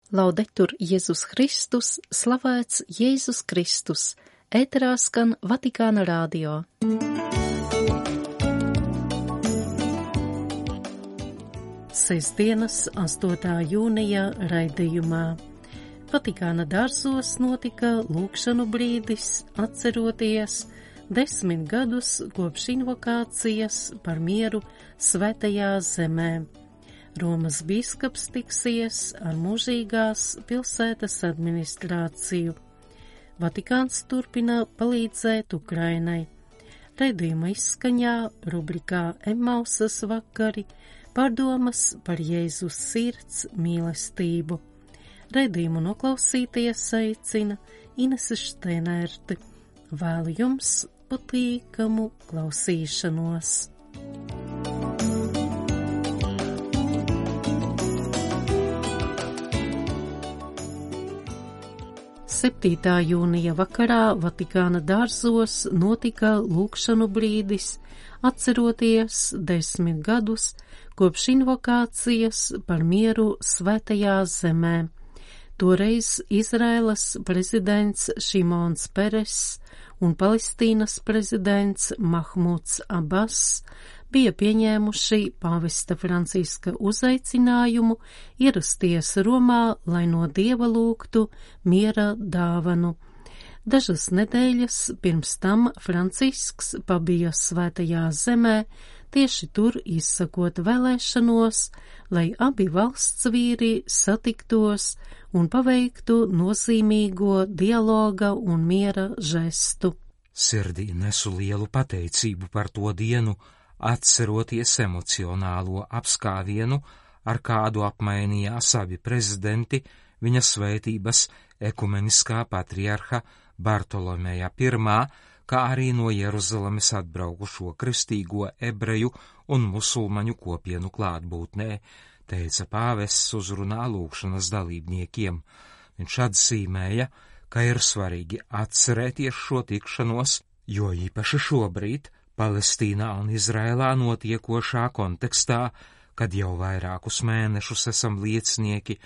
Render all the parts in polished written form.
Laudetur Jēzus Kristus, slavēts Jēzus Kristus, ēterā skan Vatikāna radio. Sestdienas 8. jūnija raidījumā. Vatikāna dārzos notika lūgšanu brīdis, atceroties 10 gadus kopš invokācijas par mieru Svētajā zemē. Romas bīskaps tiksies ar mūžīgās pilsētas administrāciju. Vatikāns turpina palīdzēt Ukrainai. Raidījuma izskaņā rubrikā Emmausas vakari pārdomas par Jēzus sirds mīlestību. Raidījumu noklausīties aicina Inese Šteinerte. Vēlu jums patīkamu klausīšanos. 7. jūnija vakarā Vatikāna dārzos notika lūgšanu brīdis, atceroties 10 gadus kopš invokācijas par mieru Svētajā zemē. Toreiz Izraēlas prezidents Šimons Peres un Palestīnas prezidents Mahmuds Abbas bija pieņēmuši pāvesta Franciska uzaicinājumu ierasties Romā, lai no Dieva lūgtu miera dāvanu. Dažas nedēļas pirms tam Francisks pabija Svētajā zemē, tieši tur izsakot vēlēšanos, lai abi valsts vīri satiktos un paveiktu nozīmīgo dialoga un miera žestu. Sirdī nesu lielu pateicību par to dienu, atceroties emocionālo apskāvienu, ar kādu apmainījās abi prezidenti viņa svētības ekumeniskā patriarha Bartolomeja I, kā arī no Jeruzalemes atbraukušo kristīgo ebreju un musulmaņu kopienu klātbūtnē, teica pāvests uzrunā lūgšanas dalībniekiem. Viņš atzīmēja, ka ir svarīgi atcerēties šo tikšanos, jo īpaši šobrīd Palestīnā un Izrēlā notiekošā kontekstā, kad jau vairākus mēnešus esam liecinieki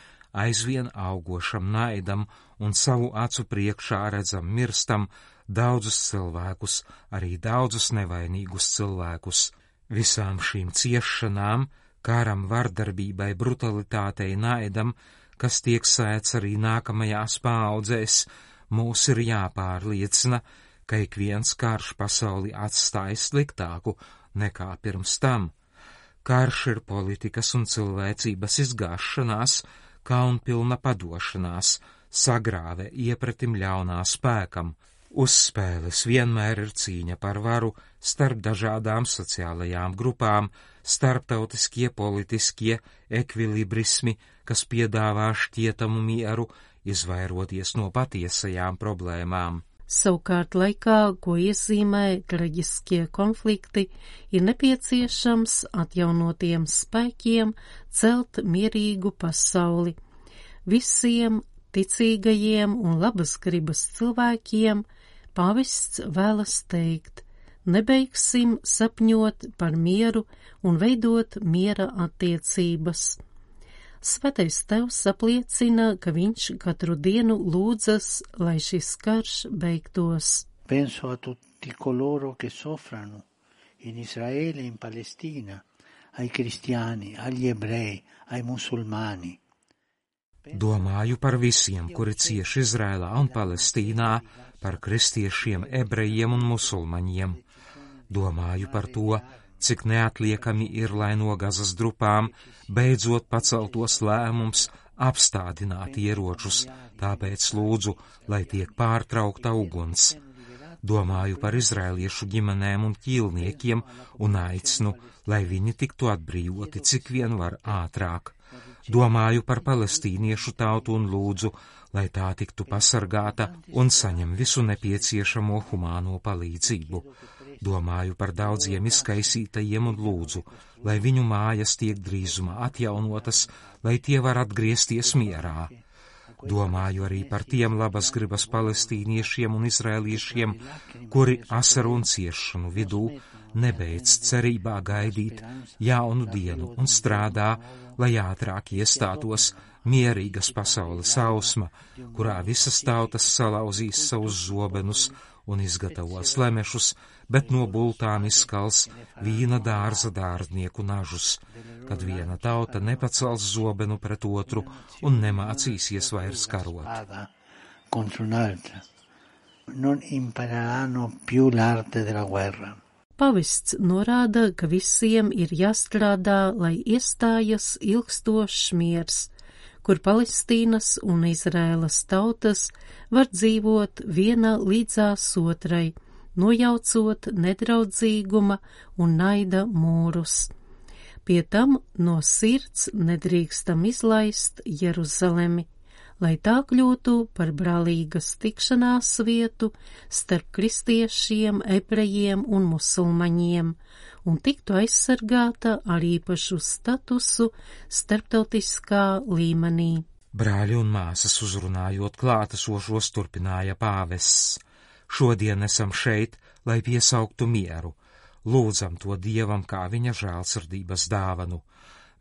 aizvien augošam naidam un savu acu priekšā redzam mirstam daudzus cilvēkus, arī daudzus nevainīgus cilvēkus. Visām šīm ciešanām, kāram, vardarbībai, brutalitātei, naidam, kas tiek sēts arī nākamajās paaudzēs, mūs ir jāpārliecina, ka ik viens karš pasauli atstāja sliktāku nekā pirms tam. Karš ir politikas un cilvēcības izgāšanās, kaunpilna padošanās, sagrāve iepratim ļaunā spēkam. Uz spēles vienmēr ir cīņa par varu starp dažādām sociālajām grupām, starptautiskie politiskie ekvilibrismi, kas piedāvā šķietamu mieru, izvairoties no patiesajām problēmām. Savukārt laikā, ko iezīmē traģiskie konflikti, ir nepieciešams atjaunotiem spēkiem celt mierīgu pasauli. Visiem ticīgajiem un labas gribas cilvēkiem pāvests vēlas teikt: nebeigsim sapņot par mieru un veidot miera attiecības. Svētais Tevs apliecina, ka viņš katru dienu lūdzas, lai šis karš beigtos. Penso a tutti coloro che soffrano in Israele e in Palestina, ai cristiani, agli ebrei, ai musulmani. Domāju par visiem, kuri cieši Izrēlā un Palestīnā, par kristiešiem, ebrejiem un musulmaņiem. Domāju par to, cik neatliekami ir, lai no Gazas drupām beidzot paceltos lēmums apstādināt ieročus, tāpēc lūdzu, lai tiek pārtraukta uguns. Domāju par izrēliešu ģimenēm un ķīlniekiem un aicinu, lai viņi tiktu atbrīvoti cik vien var ātrāk. Domāju par palestīniešu tautu un lūdzu, lai tā tiktu pasargāta un saņem visu nepieciešamo humāno palīdzību. Domāju par daudziem izkaisītajiem un lūdzu, lai viņu mājas tiek drīzumā atjaunotas, lai tie var atgriezties mierā. Domāju arī par tiem labas gribas palestīniešiem un izrēliešiem, kuri asaru un ciešanu vidū nebeidz cerībā gaidīt jaunu dienu un strādā, lai ātrāk iestātos mierīgas pasaules ausma, kurā visas tautas salauzīs savus zobenus un izgatavos lemešus, bet no bultām izskals vīna dārza dārznieku nažus, kad viena tauta nepacels zobenu pret otru un nemācīsies vairs karot. Non impareranno più l'arte della guerra. Pavests norāda, ka visiem ir jāstrādā, lai iestājas ilgstošs miers, kur Palestīnas un Izraēlas tautas var dzīvot viena līdzās otrai, nojaucot nedraudzīguma un naida mūrus. Pie tam no sirds nedrīkstam izlaist Jeruzalemi, lai tā kļūtu par brālīgas tikšanās vietu starp kristiešiem, ebrejiem un musulmaņiem, un tiktu aizsargāta ar īpašu statusu starptautiskā līmenī. Brāļi un māsas uzrunājot klātesošos turpināja pāvests. Šodien esam šeit, lai piesauktu mieru. Lūdzam to Dievam kā viņa žēlsirdības dāvanu.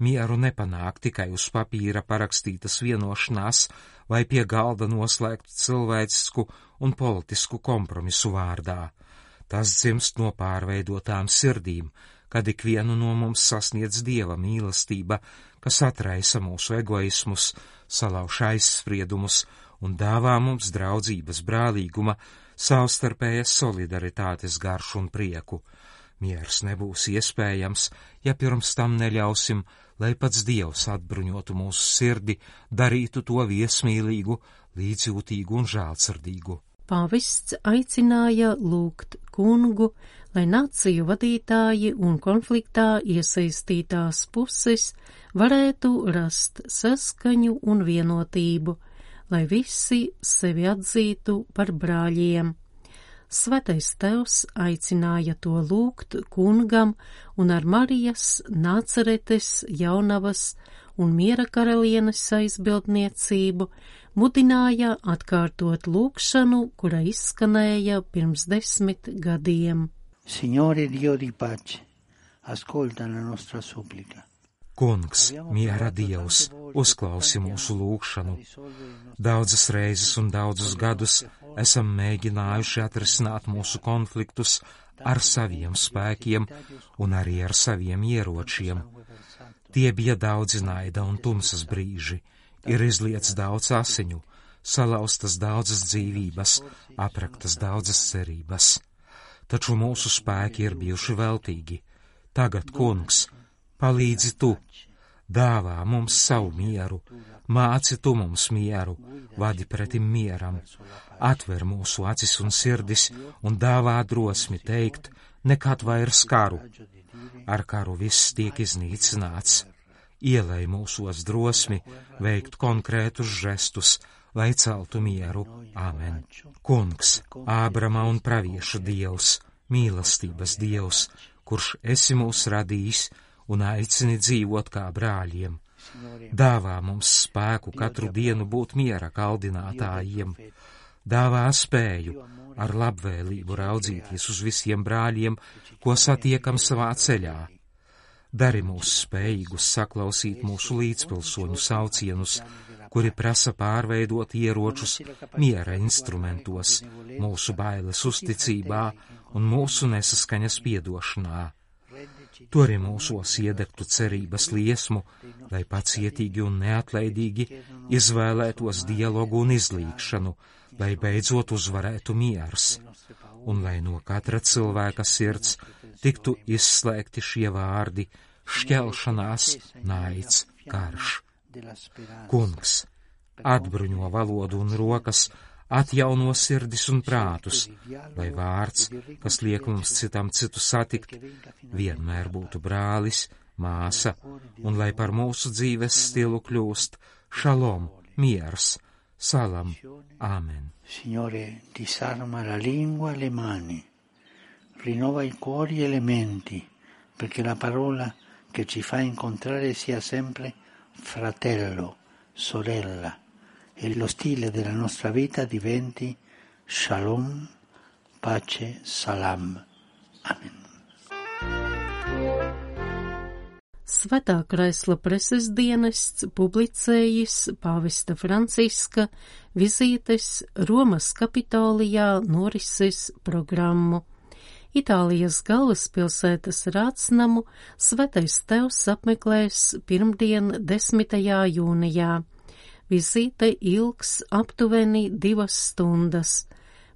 Mieru nepanāk tikai uz papīra parakstītas vienošanās vai pie galda noslēgtu cilvēcisku un politisku kompromisu vārdā. Tas dzimst no pārveidotām sirdīm, kad ikvienu no mums sasniedz Dieva mīlestība, kas atraisa mūsu egoismus, salauž aizspriedumus un dāvā mums draudzības, brālīguma, savstarpējas solidaritātes garšu un prieku. Miers nebūs iespējams, ja pirms tam neļausim, lai pats Dievs atbruņotu mūsu sirdi, darītu to viesmīlīgu, līdzjūtīgu un žēlsirdīgu. Pāvests aicināja lūgt kungu, lai nāciju vadītāji un konfliktā iesaistītās puses varētu rast saskaņu un vienotību, lai visi sevi atzītu par brāļiem. Svētais Tevs aicināja to lūgt kungam un ar Marijas, Nācaretes, Jaunavas un Miera karalienes aizbildniecību mudināja atkārtot lūgšanu, kura izskanēja pirms 10 gadiem. Signore Dio di pace, ascolta la nostra supplica. Kungs, miera Dievs, uzklausi mūsu lūgšanu. Daudzas reizes un daudzus gadus esam mēģinājuši atrisināt mūsu konfliktus ar saviem spēkiem un arī ar saviem ieročiem. Tie bija daudzi naida un tumsas brīži, ir izliets daudz asiņu, salauztas daudzas dzīvības, apraktas daudzas cerības. Taču mūsu spēki ir bijuši veltīgi. Tagad, Kungs, palīdzi tu, dāvā mums savu mieru, māci tu mums mieru, vadi pretim mieram, atver mūsu acis un sirdis un dāvā drosmi teikt, nekad vairs karu. Ar karu viss tiek iznīcināts. Ielej mūsos drosmi veikt konkrētus žestus, lai celtu mieru. Āmen. Kungs, Ābrama un praviešu Dievs, mīlestības Dievs, kurš esi mūs radījis un aicini dzīvot kā brāļiem. Dāvā mums spēku katru dienu būt miera kaldinātājiem. Dāvā spēju ar labvēlību raudzīties uz visiem brāļiem, ko satiekam savā ceļā. Dari mūs spējīgus saklausīt mūsu līdzpilsoņu saucienus, kuri prasa pārveidot ieročus miera instrumentos, mūsu bailes uzticībā un mūsu nesaskaņas piedošanā. Turi mūsos iedegtu cerības liesmu, lai pacietīgi un neatlaidīgi izvēlētos dialogu un izlīgšanu, lai beidzot uzvarētu miers, un lai no katra cilvēka sirds tiktu izslēgti šie vārdi - šķelšanās, naids, karš. Kungs, atbruņo valodu un rokas, atjauno sirdis un prātus, lai vārds, kas liek mums citam citu satikt, vienmēr būtu brālis, māsa, un lai par mūsu dzīves stilu kļūst šalom, miers, salam, āmen. Signore, disarma la lingua e le mani, rinnova i cuori e le menti, perché la parola che ci fa incontrare sia sempre fratello, sorella, e lo stile della nostra vita diventi shalom, pace, salam. Amen. Svētā Kraisla preses dienests publicējis pāvesta Franciska vizītes Romas Kapitolijā norises programmu. Itālijas galvaspilsētas rātsnamu Svētais Tevs apmeklēs pirmdien 10. jūnijā. Vizīte ilgs aptuveni 2 stundas.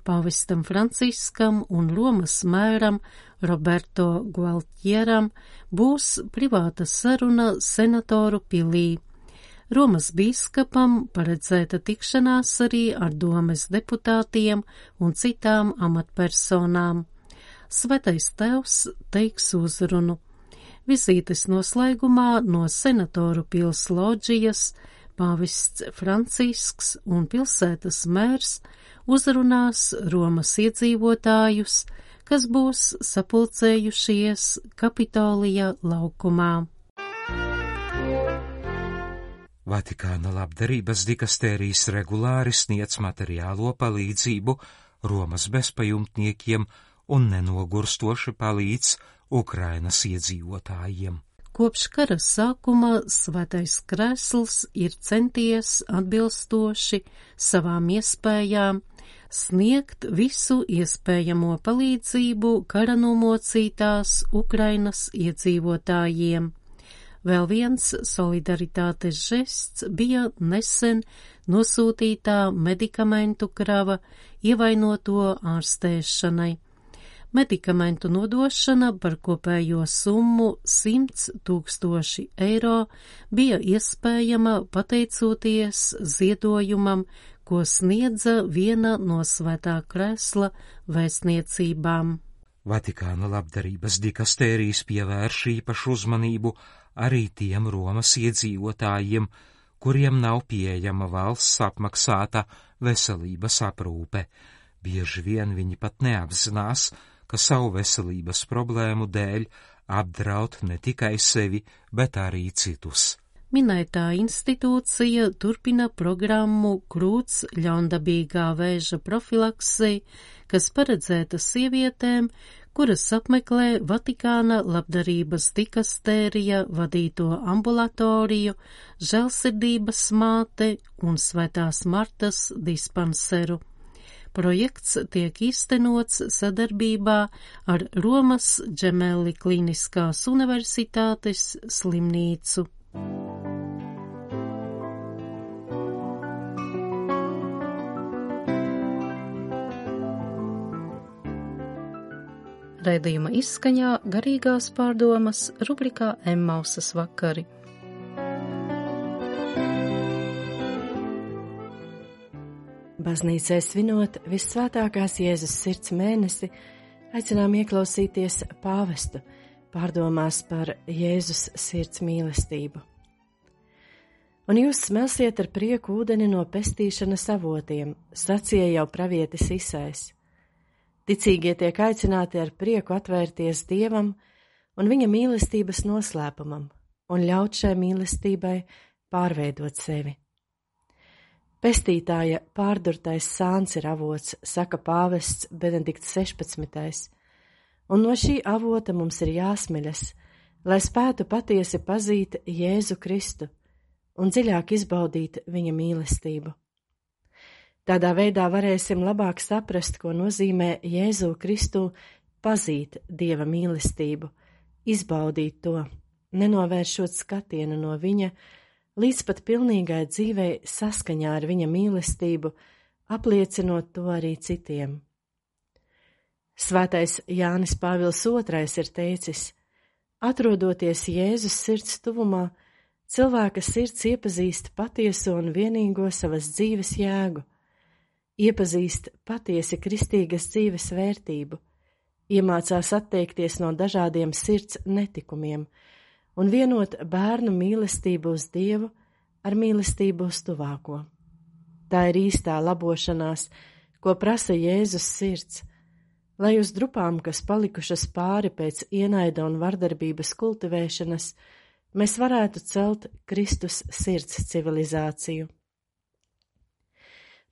Pāvestam Franciskam un Romas mēram Roberto Gualtieram būs privāta saruna senatoru pilī. Romas bīskapam paredzēta tikšanās arī ar domes deputātiem un citām amatpersonām. Svētais Tevs teiks uzrunu. Vizītes noslēgumā no senatoru pils loģijas pāvests Francisks un pilsētas mērs uzrunās Romas iedzīvotājus, kas būs sapulcējušies Kapitolija laukumā. Vatikāna labdarības dikastērijas regulāri sniedz materiālo palīdzību Romas bezpajumtniekiem un nenogurstoši palīdz Ukrainas iedzīvotājiem. Kopš kara sākuma Svētais Krēsls ir centies atbilstoši savām iespējām sniegt visu iespējamo palīdzību kara nomocītās Ukrainas iedzīvotājiem. Vēl viens solidaritātes žests bija nesen nosūtītā medikamentu krava ievainoto ārstēšanai. Medikamentu nodošana par kopējo summu 100 000 eiro bija iespējama pateicoties ziedojumam, ko sniedza viena no Svētā Krēsla vēstniecībām. Vatikāna labdarības dikastērijas pievērš īpašu uzmanību arī tiem Romas iedzīvotājiem, kuriem nav pieejama valsts apmaksāta veselības aprūpe. Bieži vien viņi pat neapzinās, ka savu veselības problēmu dēļ apdraud ne tikai sevi, bet arī citus. Minētā institūcija turpina programmu krūts ļaundabīgā vēža profilaksei, kas paredzēta sievietēm, kuras apmeklē Vatikāna labdarības dikastērija vadīto ambulatoriju, Žēlsirdības māte un Svētās Martas dispanseru. Projekts tiek īstenots sadarbībā ar Romas Džemeli Kliniskās universitātes slimnīcu. Raidījuma izskaņā garīgās pārdomas rubrikā Emmausas vakari. Baznīcai svinot Vissvētākās Jēzus sirds mēnesi, aicinām ieklausīties pāvestu pārdomās par Jēzus sirds mīlestību. Un jūs smelsiet ar prieku ūdeni no pestīšanas avotiem, sacīja jau pravietis Isais. Ticīgie tiek aicināti ar prieku atvērties Dievam un viņa mīlestības noslēpumam un ļaut šai mīlestībai pārveidot sevi. Pestītāja pārdurtais sāns ir avots, saka pāvests Benedikts 16. Un no šī avota mums ir jāsmeļas, lai spētu patiesi pazīt Jēzu Kristu un dziļāk izbaudīt viņa mīlestību. Tādā veidā varēsim labāk saprast, ko nozīmē Jēzu Kristu pazīt Dieva mīlestību, izbaudīt to, nenovēršot skatienu no viņa, līdz pat pilnīgai dzīvei saskaņā ar viņa mīlestību, apliecinot to arī citiem. Svētais Jānis Pāvils II ir teicis: atrodoties Jēzus sirds tuvumā, cilvēka sirds iepazīst patieso un vienīgo savas dzīves jēgu, iepazīst patiesi kristīgas dzīves vērtību, iemācās atteikties no dažādiem sirds netikumiem un vienot bērnu mīlestību uz Dievu ar mīlestību uz tuvāko. Tā ir īstā labošanās, ko prasa Jēzus sirds, lai uz drupām, kas palikušas pāri pēc ienaida un vardarbības kultivēšanas, mēs varētu celt Kristus sirds civilizāciju.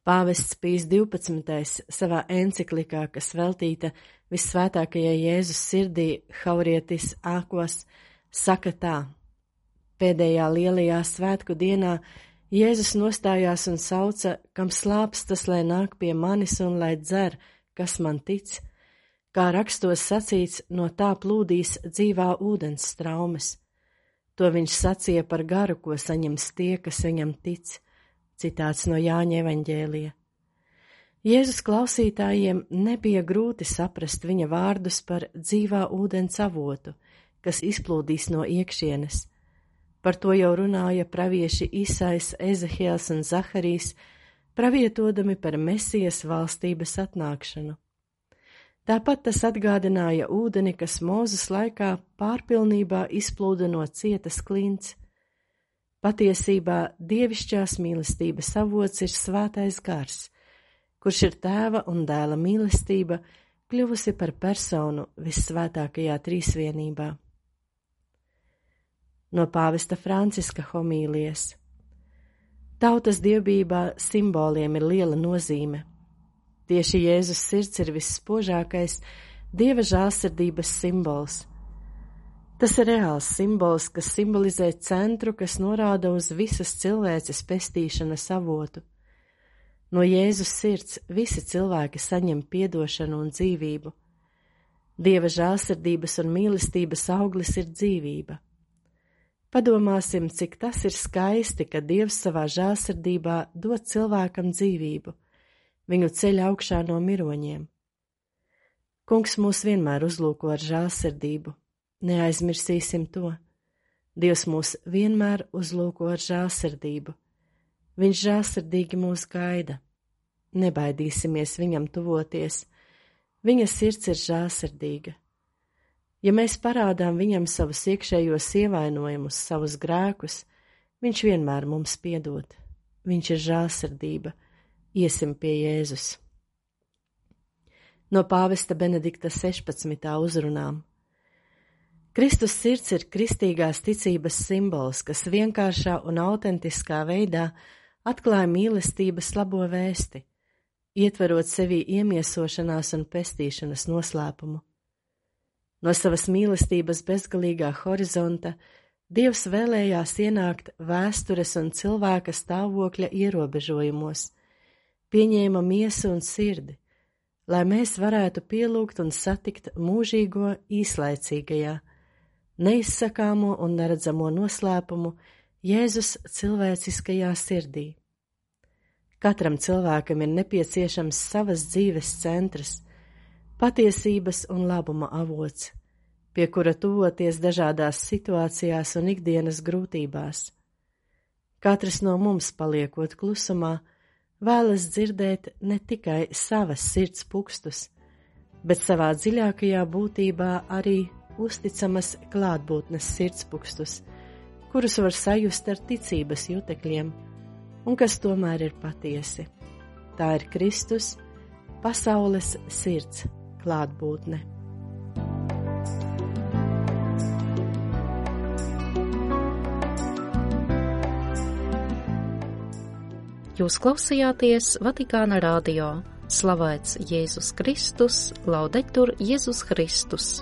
Pāvests Pijs 12. savā enciklikā, kas veltīta Vissvētākajai Jēzus sirdī Haurietis Aquas, saka tā: Pēdējā lielajā svētku dienā Jēzus nostājās un sauca, kam slāpst, tas lai nāk pie manis un lai dzer, kas man tic. Kā rakstos sacīts, no tā plūdīs dzīvā ūdens straumes. To viņš sacīja par garu, ko saņems tie, kas viņam tic. Citāts no Jāņa evaņģēlija. Jēzus klausītājiem nebija grūti saprast viņa vārdus par dzīvā ūdens avotu, kas izplūdīs no iekšienes. Par to jau runāja pravieši Isais, Ezehiels un Zaharijs, pravietodami par Mesijas valstības atnākšanu. Tāpat tas atgādināja ūdeni, kas Mūzes laikā pārpilnībā izplūda no cietas klints. Patiesībā dievišķās mīlestības avots ir svētais gars, kurš ir tēva un dēla mīlestība, kļuvusi par personu vissvētākajā trīsvienībā. No pāvesta Franciska homīlijas. Tautas dievbijībā simboliem ir liela nozīme. Tieši Jēzus sirds ir visspožākais Dieva žēlsirdības simbols. Tas ir reāls simbols, kas simbolizē centru, kas norāda uz visas cilvēces pestīšanas avotu. No Jēzus sirds visi cilvēki saņem piedošanu un dzīvību. Dieva žēlsirdības un mīlestības auglis ir dzīvība. Padomāsim, cik tas ir skaisti, ka Dievs savā žēlsirdībā dod cilvēkam dzīvību, viņu ceļ augšā no miroņiem. Kungs mūs vienmēr uzlūko ar žēlsirdību, neaizmirsīsim to. Dievs mūs vienmēr uzlūko ar žēlsirdību. Viņš žēlsirdīgi mūs gaida. Nebaidīsimies viņam tuvoties. Viņa sirds ir žēlsirdīga. Ja mēs parādām viņam savus iekšējos ievainojumus, savus grēkus, viņš vienmēr mums piedod. Viņš ir žēlsirdība. Iesim pie Jēzus. No pāvesta Benedikta 16. uzrunām. Kristus sirds ir kristīgās ticības simbols, kas vienkāršā un autentiskā veidā atklāja mīlestības labo vēsti, ietverot sevī iemiesošanās un pestīšanas noslēpumu. No savas mīlestības bezgalīgā horizonta Dievs vēlējās ienākt vēstures un cilvēka stāvokļa ierobežojumos, pieņēma miesu un sirdi, lai mēs varētu pielūgt un satikt mūžīgo īslaicīgajā, neizsakāmo un neredzamo noslēpumu Jēzus cilvēciskajā sirdī. Katram cilvēkam ir nepieciešams savas dzīves centrs, patiesības un labuma avots, pie kura tuvoties dažādās situācijās un ikdienas grūtībās. Katrs no mums, paliekot klusumā, vēlas dzirdēt ne tikai savas sirds pukstus, bet savā dziļākajā būtībā arī uzticamas klātbūtnes sirdspukstus, kurus var sajust ar ticības jutekļiem, un kas tomēr ir patiesi. Tā ir Kristus, pasaules sirds klātbūtne. Jūs klausījāties Vatikāna radio. Slavēts Jēzus Kristus, laudetur Jēzus Kristus.